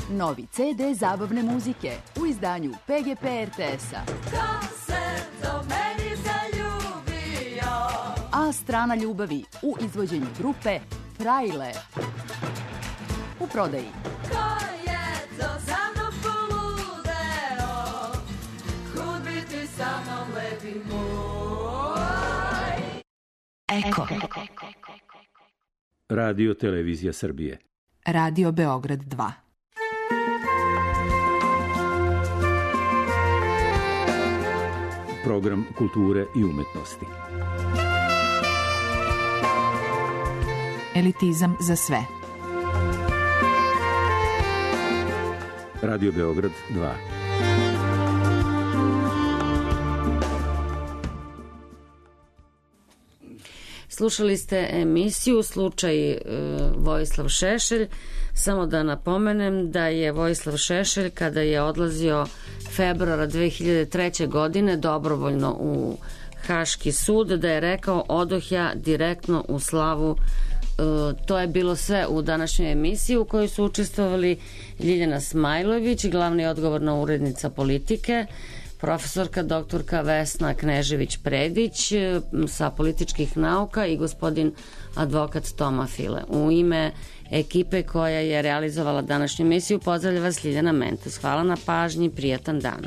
Novi CD zabavne muzike u izdanju PGP RTS-a. Ko se do meni zaljubio? A strana ljubavi u izvođenju grupe Frajle. U prodaji. Ko je to za mnom poludeo? Kud biti sa mnom lepi moj? Eko. Radio Televizija Srbije. Radio Beograd 2. Program kulture i umetnosti. Elitizam za sve. Radio Beograd 2. Slušali ste emisiju Slučaj Vojislav Šešelj. Samo da napomenem da je Vojislav Šešelj, kada je odlazio februara 2003. godine dobrovoljno u Haški sud, da je rekao odoh ja direktno u slavu. To je bilo sve u današnjoj emisiji u kojoj su učestvovali Ljiljana Smajlović, glavna i odgovorna urednica Politike, profesorka doktorka Vesna Knežević-Predić sa političkih nauka i gospodin advokat Toma File. U ime ekipe koja je realizovala današnju emisiju pozdravlja vas Ljiljana Mentes. Hvala na pažnji, prijatan dan.